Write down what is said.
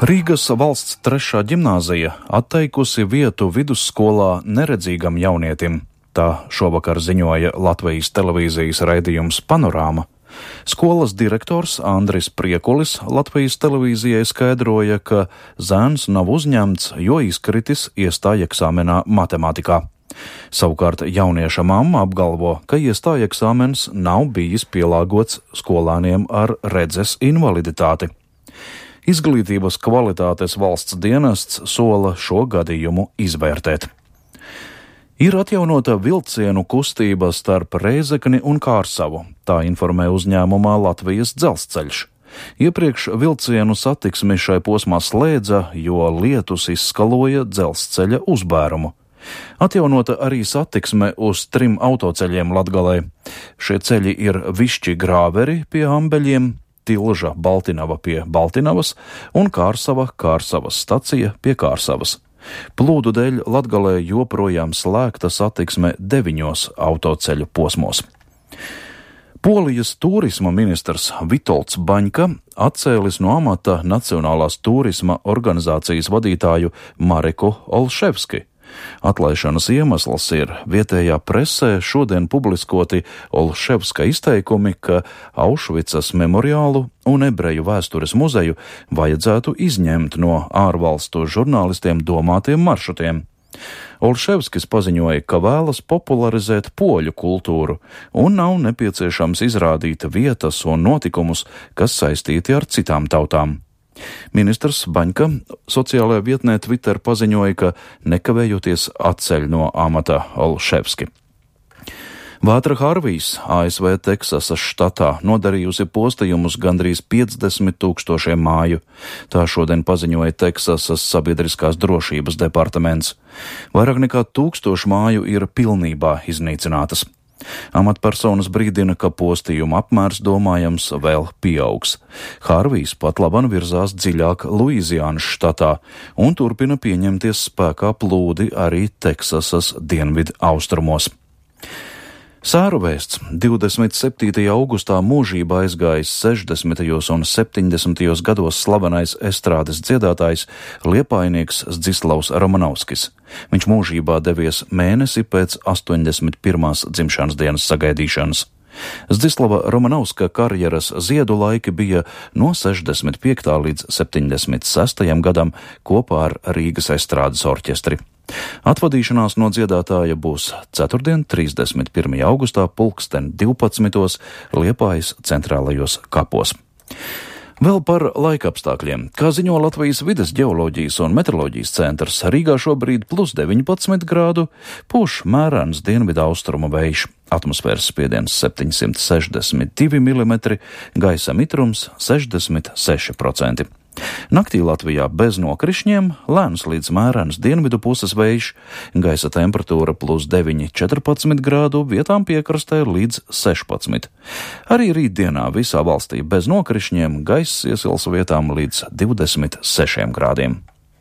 Rīgas valsts 3. ģimnāzija atteikusi vietu vidusskolā neredzīgam jaunietim. Tā šovakar ziņoja Latvijas televīzijas raidījums Panorāma. Skolas direktors Andris Priekulis Latvijas televīzijai skaidroja, ka zēns nav uzņemts, jo izkritis iestāja eksāmenā matemātikā. Savukārt jaunieša mamma apgalvo, ka iestāja eksāmens nav bijis pielāgots skolāniem ar redzes invaliditāti. Izglītības kvalitātes valsts dienests sola šo gadījumu izvērtēt. Ir atjaunota vilcienu kustība starp Rēzekni un Kārsavu, tā informē uzņēmumā Latvijas dzelzceļš. Iepriekš vilcienu satiksmi šai posmā slēdza, jo lietus izskaloja dzelzceļa uzbērumu. Atjaunota arī satiksme uz 3 autoceļiem Latgalē. Šie ceļi ir Višķi Grāveri pie Ambeļiem, Tilža Baltinava pie Baltinavas un Kārsavas stacija pie Kārsavas. Plūdu dēļ Latgalē joprojām slēgta satiksme 9 autoceļu posmos. Polijas turisma ministrs Vitolds Baņka atcēlis no amata Nacionālās turisma organizācijas vadītāju Mareku Olševski. Atlaišanas iemesls ir vietējā presē šodien publiskoti Olševska izteikumi, ka Aušvicas memoriālu un ebreju vēstures muzeju vajadzētu izņemt no ārvalstu žurnālistiem domātiem maršrutiem. Olševskis paziņoja, ka vēlas popularizēt poļu kultūru un nav nepieciešams izrādīt vietas un notikumus, kas saistīti ar citām tautām. Ministrs Baņka sociālajā vietnē Twitter paziņoja, ka nekavējoties atceļ no amata Olševski. Vētra Harvijs ASV Teksasas štatā nodarījusi postījumus gandrīz 50 000 māju. Tā šodien paziņoja Teksasas sabiedriskās drošības departaments. Vairāk nekā 1000 māju ir pilnībā iznīcinātas. Amatpersonas brīdina, ka postījuma apmērs domājams vēl pieaugs. Harvijs pat laban virzās dziļāk Luiziānas štatā un turpina pieņemties spēkā plūdi arī Teksasas dienvidu austrumos. Sēru vēsts 27. augustā mūžībā aizgājis 60. un 70. gados slavenais estrādes dziedātājs liepainieks Zdzislavs Romanovskis. Viņš mūžībā devies mēnesi pēc 81. dzimšanas dienas sagaidīšanas. Zdzislava Romanovska karjeras ziedu laiki bija no 65. līdz 76. gadam kopā ar Rīgas estrādes orķestri. Atvadīšanās no dziedātāja būs ceturtdien, 31. augustā, 12. Liepājas centrālajos kapos. Vēl par laikapstākļiem. Kā ziņo Latvijas vides ģeoloģijas un meteoroloģijas centrs, Rīgā šobrīd +19 grādu, pūš mērens dienvidu austrumu vējš, atmosfēras spiediens 762 mm, gaisa mitrums 66%. Naktī Latvijā bez nokrišņiem, lēns līdz mērens dienvidu puses vējš, gaisa temperatūra +9, 14 grādu, vietām piekrastē līdz 16. Arī rītdienā visā valstī bez nokrišņiem, gaiss iesils vietām līdz 26 grādiem.